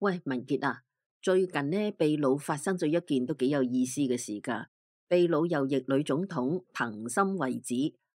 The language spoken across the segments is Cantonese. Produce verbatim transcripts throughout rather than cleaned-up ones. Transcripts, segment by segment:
喂，文傑啊，最近呢，秘魯發生咗一件都幾有意思嘅事㗎。秘魯右翼女總統藤森惠子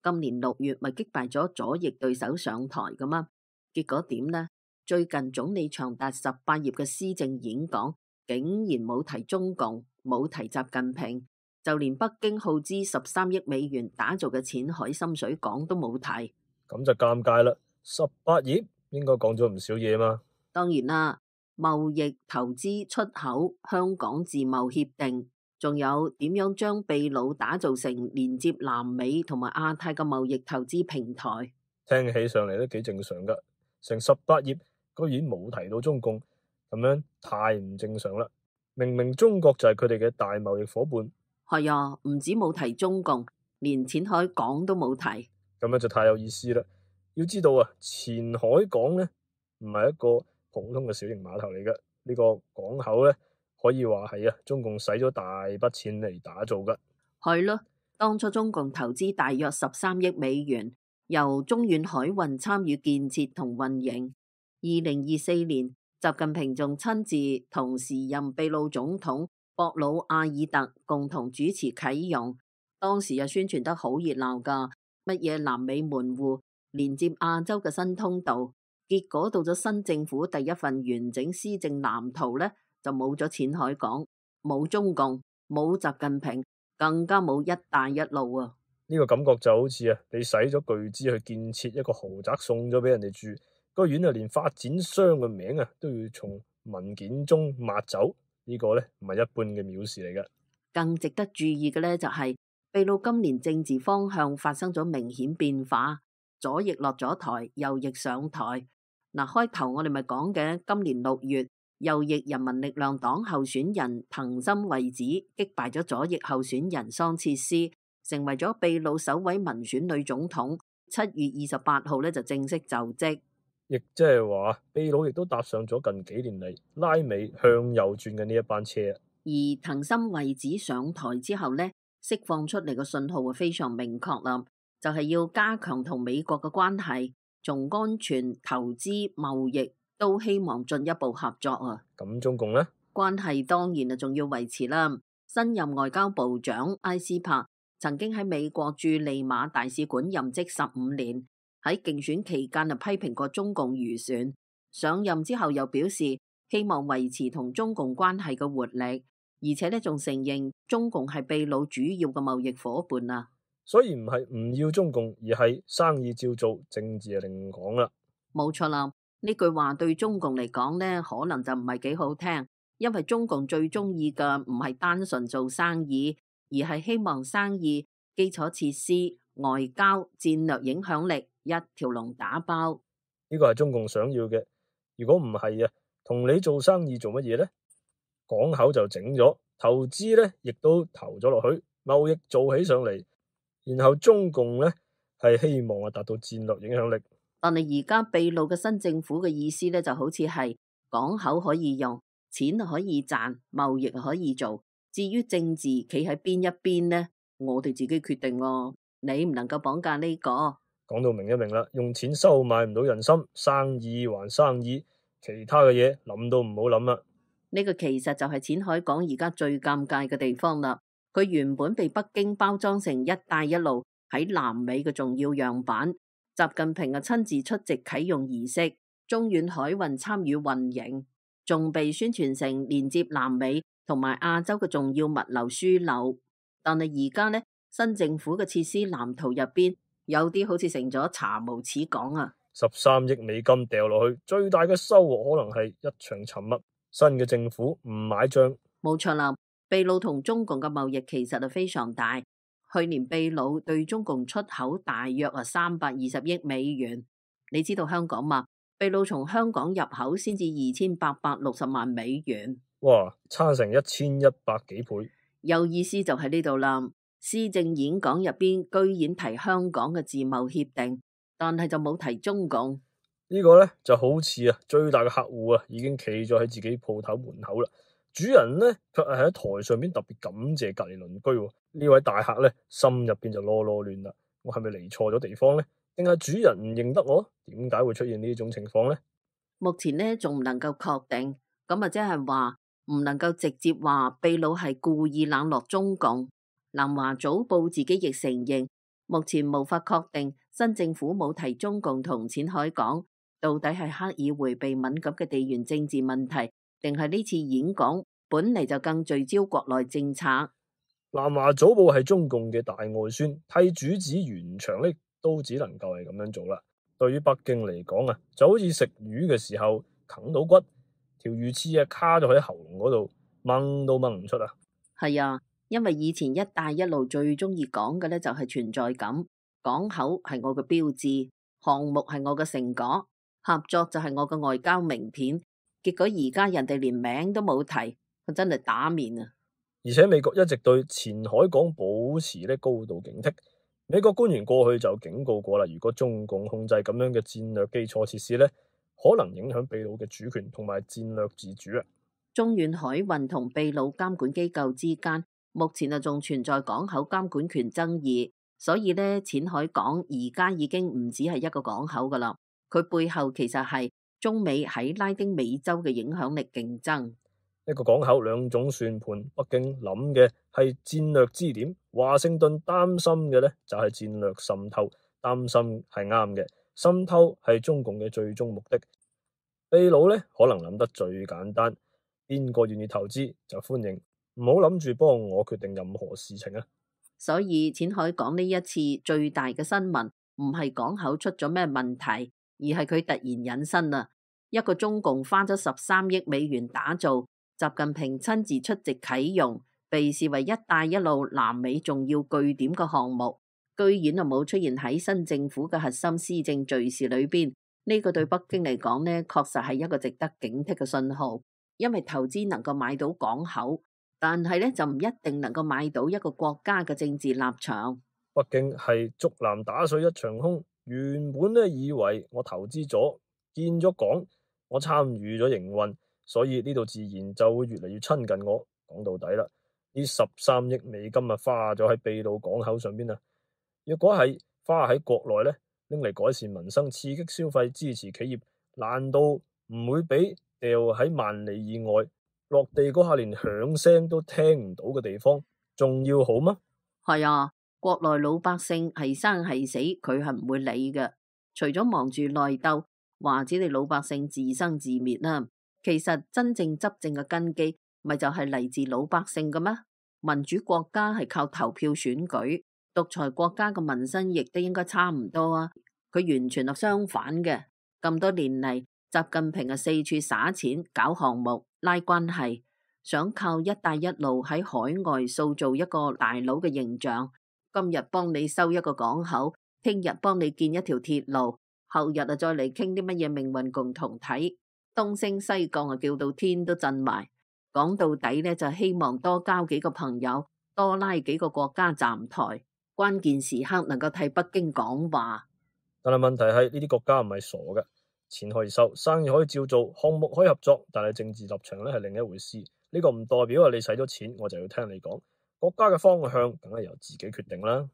今年六月咪擊敗咗左翼對手上台㗎嘛？結果點呢？最近總理長達十八頁嘅施政演講，竟然冇提中共，冇提習近平，就連北京耗資十三億美元打造嘅淺海深水港都冇提。咁就尷尬啦！十八頁應該講咗唔少嘢嘛。當然啦，貿易、投資、出口、香港自貿協定，仲有點樣將秘魯打造成連接南美同埋亞太嘅貿易投資平台。聽起上嚟都幾正常噶，成十八頁居然冇提到中共，咁樣太唔正常啦！明明中國就係佢哋嘅大貿易伙伴。係啊，唔止冇提中共，連淺海港都冇提。咁樣就太有意思啦！要知道啊，前海港呢唔係一個普通嘅小型碼頭嚟嘅，呢個港口呢，可以話係啊，中共使咗大筆錢嚟打造噶。係咯，當初中共投資大約十三億美元，由中遠海運參與建設同運營。二零二四年，習近平仲親自同時任秘魯總統博魯阿爾特共同主持啟用，當時又宣傳得好熱鬧噶，乜嘢南美門戶連接亞洲嘅新通道。結果到咗新政府第一份完整施政藍圖呢，就冇咗淺海港，冇中共，冇習近平，更加冇一帶一路啊！呢個感覺就好似啊，你使咗巨資去建設一個豪宅送咗俾人哋住，居然啊連發展商嘅名啊都要從文件中抹走，呢個呢唔係一般嘅藐視嚟嘅。更值得注意嘅呢，就係秘魯今年政治方向發生咗明顯變化，左翼落咗台，右翼上台。嗱，開頭我哋咪講嘅，今年六月右翼人民力量黨候選人藤森惠子擊敗咗左翼候選人桑切斯，成為咗秘魯首位民選女總統。七月二十八號呢就正式就職，亦即係話秘魯亦都搭上咗近幾年嚟拉美向右轉嘅呢一班車。而藤森惠子上台之後呢，釋放出嚟嘅信號係非常明確啦，就係要加強同美國嘅關係。從安全、投資、貿易都希望進一步合作啊！咁中共呢？關係當然啊，仲要維持啦。新任外交部長埃斯珀曾經喺美國駐利馬大使館任職十五年，喺競選期間啊批評過中共漁船。上任之後又表示希望維持同中共關係嘅活力，而且呢仲承認中共係秘魯主要嘅貿易夥伴啊！所以唔係唔要中共，而係生意照做，政治就另講啦。冇錯啦，呢句話對中共嚟講呢，可能就唔係幾好聽，因為中共最中意嘅唔係單純做生意，而係希望生意、基礎設施、外交、戰略影響力一條龍打包。呢個係中共想要嘅。如果唔係啊，同你做生意做乜嘢呢？港口就整咗，投資呢亦都投咗落去，貿易做起上嚟。然後中共呢係希望啊達到戰略影響力，但係而家秘魯嘅新政府嘅意思呢，就好似係港口可以用，錢可以賺，貿易可以做。至於政治企喺邊一邊呢，我哋自己決定喎，你唔能夠綁架呢個。講到明一明啦，用錢收買唔到人心，生意還生意，其他嘅嘢諗都唔好諗啦。呢個其實就係淺海港而家最尷尬嘅地方啦。佢原本被北京包裝成一帶一路喺南美嘅重要樣板，習近平啊親自出席啟用儀式，中遠海運參與運營，仲被宣傳成連接南美同埋亞洲嘅重要物流樞紐。但係而家呢，新政府嘅設施藍圖入邊有啲好似成咗查無此港啊！十三億美金掉落去，最大嘅收穫可能係一場沉默。新嘅政府唔買賬，冇錯啦。秘魯同中共嘅貿易其實係非常大，去年秘魯對中共出口大約係三百二十億美元。你知道香港嘛？秘魯從香港入口先至二千八百六十萬美元，哇，差成一千一百幾倍。有意思就喺呢度啦。施政演講入邊居然提香港嘅自貿協定，但係就冇提中共。呢個呢就好似啊，最大嘅客戶啊已經企咗喺自己鋪頭門口啦。主人呢，卻係喺台上邊特別感謝隔籬鄰居。呢位大客呢，心入邊就囉囉亂啦。我係咪嚟錯咗地方呢？定係主人唔認得我？點解會出現呢種情況呢？目前呢仲唔能夠確定。咁啊即係話唔能夠直接話秘魯係故意冷落中共。南華早報自己亦承認，目前無法確定新政府冇提中共同淺海港，到底係刻意迴避敏感嘅地緣政治問題，定係呢次演講本嚟就更聚焦國內政策。南華早報係中共嘅大外宣，替主子圓場呢都只能夠係咁樣做啦。對於北京嚟講啊，就好似食魚嘅時候啃到骨，條魚刺啊卡咗喺喉嚨嗰度，掹都掹唔出啊。係啊，因為以前一帶一路最中意講嘅呢就係存在感，港口係我嘅標誌，項目係我嘅成果，合作就係我嘅外交名片。結果而家人哋連名都冇提，佢真係打面啊！而且美國一直對前海港保持咧高度警惕。美國官員過去就警告過啦，如果中共控制咁樣嘅戰略基礎設施咧，可能影響秘魯嘅主權同埋戰略自主啊。中遠海運同秘魯監管機構之間目前啊仲存在港口監管權爭議，所以咧淺海港而家已經唔止係一個港口噶啦，佢背後其實係中美喺拉丁美洲嘅影響力競爭。一個港口兩種算盤，北京諗嘅係戰略支點，華盛頓擔心嘅呢就係戰略滲透，擔心係啱嘅，滲透係中共嘅最終目的。秘魯呢可能諗得最簡單，邊個願意投資就歡迎，唔好諗住幫我決定任何事情啊。所以淺海港呢一次最大嘅新聞唔係港口出咗咩問題，而係佢突然引申啊，一個中共花咗十三億美元打造，習近平親自出席啟用，被視為一帶一路南美重要據點嘅項目，居然啊冇出現喺新政府嘅核心施政敘事裏邊。呢個對北京嚟講呢，確實係一個值得警惕嘅信號，因為投資能夠買到港口，但係呢就唔一定能夠買到一個國家嘅政治立場。北京係竹籃打水一場空，原本呢以為我投資咗建咗港，我參與咗營運，所以呢度自然就會越嚟越親近我。講到底啦，呢十三億美金啊花咗喺秘魯港口上邊啊，若果係花喺國內呢，拎嚟改善民生、刺激消費、支持企業，難道唔會比掉喺萬里以外落地嗰下連響聲都聽唔到嘅地方仲要好嗎？係啊，國內老百姓係生係死，佢係唔會理嘅。除咗忙住內鬥，或者你老百姓自生自滅啦。其實真正執政嘅根基，咪就係嚟自老百姓嘅咩？民主國家係靠投票選舉，獨裁國家嘅民生亦都應該差唔多啊。佢完全係相反嘅。咁多年嚟，習近平啊四處撒錢搞項目拉關係，想靠一帶一路喺海外塑造一個大佬嘅形象。今日幫你修一個港口，聽日幫你建一條鐵路，後日啊再嚟傾啲乜嘢命運共同體，東升西降啊叫到天都震埋。講到底呢，就希望多交幾個朋友，多拉幾個國家站台，關鍵時刻能夠替北京講話。但係問題係呢啲國家唔係傻嘅，錢可以收，生意可以照做，項目可以合作，但係政治立場咧係另一回事。呢個唔代表啊你使咗錢我就要聽你講，國家嘅方向梗係由自己決定啦。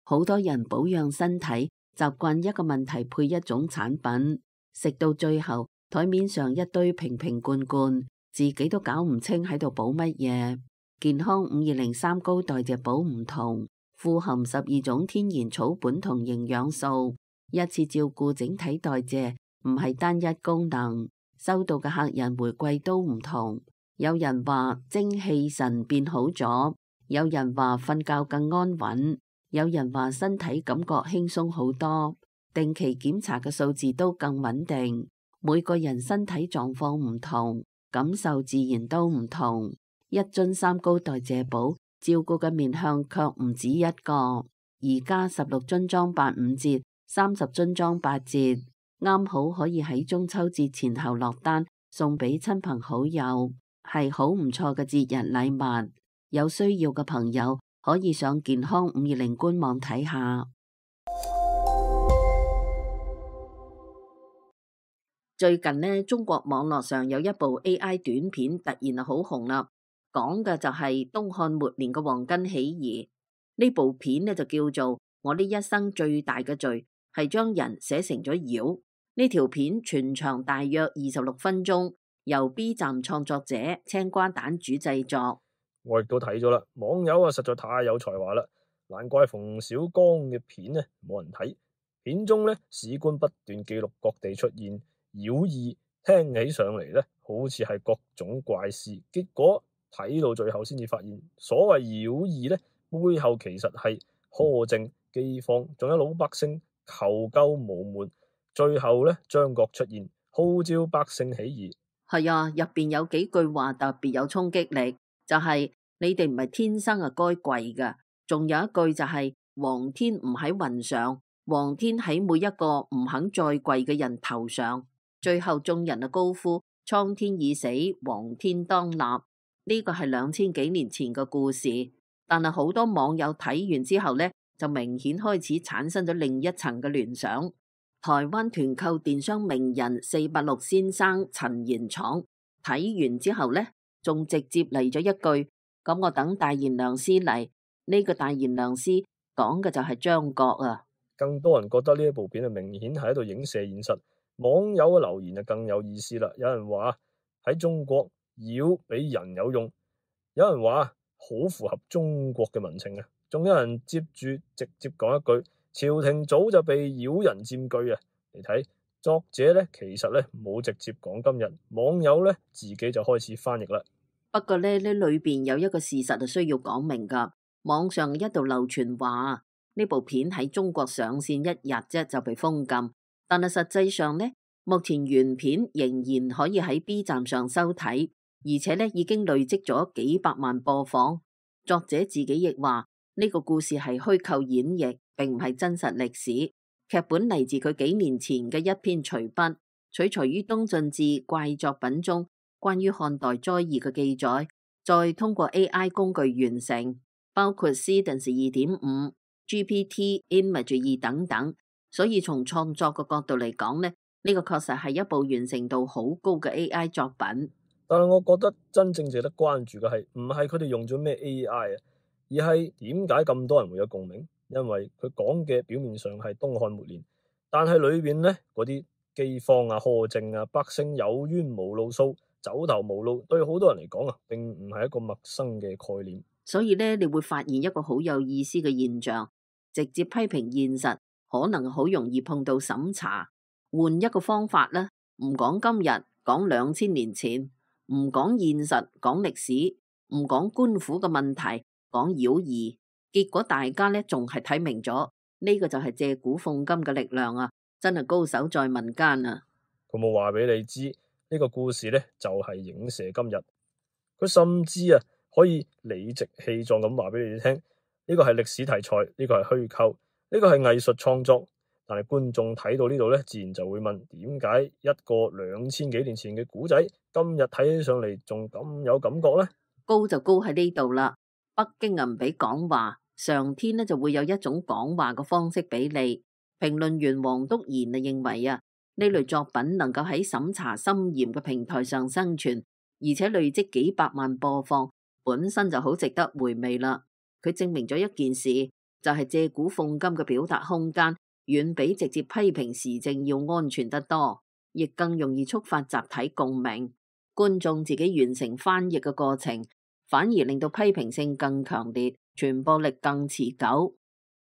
好多人保養身體，習慣一個問題配一種產品，食到最後台面上一堆瓶瓶罐罐，自己都搞唔清喺度補乜嘢。健康五二零三高代謝補唔同，富含十二種天然草本同營養素，一次照顧整體代謝，唔係單一功能。收到嘅客人回饋都唔同，有人話精氣神變好咗，有人話瞓覺更安穩，有人話身體感覺輕鬆好多，定期檢查嘅數字都更穩定。每個人身體狀況唔同，感受自然都唔同。一樽三高代謝寶照顧嘅面向卻唔止一個，而家十六樽裝八五折，三十樽裝八折，啱好可以喺中秋節前後落單，送俾親朋好友，係好唔錯嘅節日禮物。有需要嘅朋友可以上健康五二零官網睇下。最近呢，中國網絡上有一部 A I 短片突然啊好紅啦，講嘅就係東漢末年嘅黃巾起義。呢部片呢就叫做《我呢一生最大嘅罪係將人寫成咗妖》。呢條片全長大約二十六分鐘，由 B 站創作者青瓜蛋煮製作。我亦都睇咗啦，網友啊實在太有才華啦，難怪馮小剛嘅片呢冇人睇。片中呢，史官不斷記錄各地出現妖異，聽起上嚟呢好似係各種怪事，結果睇到最後先至發現，所謂妖異呢，背後其實係苛政、饑荒，仲有老百姓求救無門。最後呢，張角出現，號召百姓起義。係啊，入邊有幾句話特別有衝擊力，就係、是、你哋唔係天生啊該跪噶，仲有一句就係、是、皇天唔喺雲上，皇天喺每一個唔肯再跪嘅人頭上。最後眾人啊高呼蒼天已死，黃天當立。呢個係兩千幾年前嘅故事，但係好多網友睇完之後呢，就明顯開始產生咗另一層嘅聯想。台灣團購電商名人四八六先生陳延闖睇完之後呢，仲直接嚟咗一句：咁我等大賢良師嚟。呢、這個大賢良師講嘅就係張角啊。更多人覺得呢一部片啊，明顯係喺度影射現實。網友嘅留言就更有意思啦。有人話喺中國妖比人有用，有人話好符合中國嘅民情啊。仲有人接住直接講一句：朝廷早就被妖人佔據啊！你睇作者咧，其實咧冇直接講今日，網友咧自己就開始翻譯啦。不過咧，呢裏邊有一個事實係需要講明噶。網上一度流傳話呢部片喺中國上線一日啫就被封禁，但係實際上呢，目前原片仍然可以喺 B 站上收睇，而且咧已經累積咗幾百萬播放。作者自己亦話呢個故事係虛構演繹，並唔係真實歷史。劇本嚟自佢幾年前嘅一篇隨筆，取材於東晉志怪作品中關於漢代災異嘅記載，再通過 A I 工具完成，包括 Cadence 二點五、G P T、Image 二等等。所以從創作嘅角度嚟講呢，呢個確實係一部完成度好高嘅 A I 作品。但係我覺得真正值得關注嘅係唔係佢哋用咗咩 A I 啊，而係點解咁多人會有共鳴？因為佢講嘅表面上係東漢末年，但係裏邊呢嗰啲饑荒啊、苛政啊、百姓有冤無路訴、走投無路，對好多人嚟講啊，並唔係一個陌生嘅概念。所以呢，你會發現一個好有意思嘅現象：直接批評現實，可能好容易碰到審查。換一個方法呢，唔講今日，講兩千年前。唔講現實，講歷史；唔講官府嘅問題，講妖異。結果大家呢仲係睇明咗，呢、這個就係借古諷今嘅力量啊！真係高手在民間啊！佢冇話俾你知呢、這個故事呢就係、是、影射今日。佢甚至啊可以理直氣壯咁話俾你聽，呢、這個係歷史題材，呢、這個係虛構，呢、這個係藝術創作。但係觀眾睇到呢度呢，自然就會問：點解一個兩千幾年前嘅古仔，今日睇起上嚟仲咁有感覺呢？高就高喺呢度啦。北京唔俾講話，上天呢就會有一種講話嘅方式俾你。評論員黃督賢啊認為啊，呢類作品能夠喺審查森嚴嘅平台上生存，而且累積幾百萬播放，本身就好值得回味啦。佢證明咗一件事，就係、是、借古諷今嘅表達空間，遠比直接批評時政要安全得多，亦更容易觸發集體共鳴。觀眾自己完成翻譯嘅過程，反而令到批評性更強烈，傳播力更持久。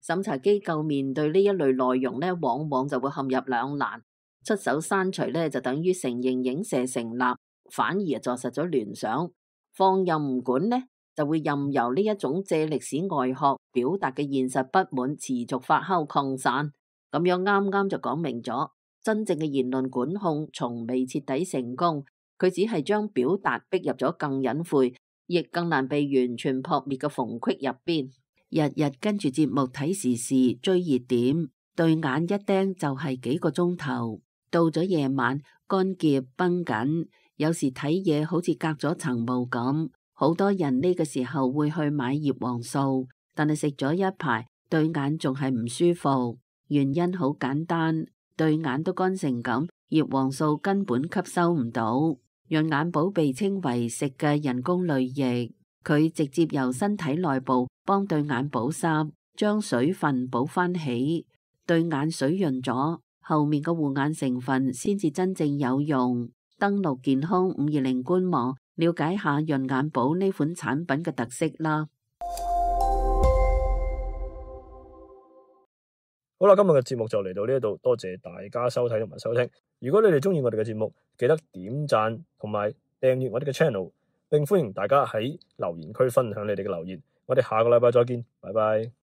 審查機構面對呢一類內容呢，往往就會陷入兩難：出手刪除呢，就等於承認影射成立，反而坐實咗聯想；放任唔管呢，就會任由呢一種借歷史外殼表達嘅現實不滿持續發酵擴散。咁樣啱啱就講明咗，真正嘅言論管控從未徹底成功，佢只係將表達逼入咗更隱晦，亦更難被完全撲滅嘅縫隙入邊。日日跟住節目睇時事追熱點，對眼一盯就係幾個鐘頭。到咗夜晚，乾澀繃緊，有時睇嘢好似隔咗層霧咁。好多人呢個時候會去買葉黃素，但係食咗一排，對眼仲係唔舒服。原因好簡單，對眼都乾成咁，葉黃素根本吸收唔到。潤眼寶被稱為食嘅人工淚液，佢直接由身體內部幫對眼保濕，將水分補翻起，對眼水潤咗，後面嘅護眼成分先至真正有用。登錄健康五二零官網，了解下潤眼寶呢款產品嘅特色啦。好啦，今日嘅節目就嚟到呢度，多謝大家收睇同埋收聽。如果你哋中意我哋嘅節目，記得點讚同埋訂閱我哋嘅 channel，並歡迎大家喺留言區分享你哋嘅留言。我哋下個禮拜再見，拜拜。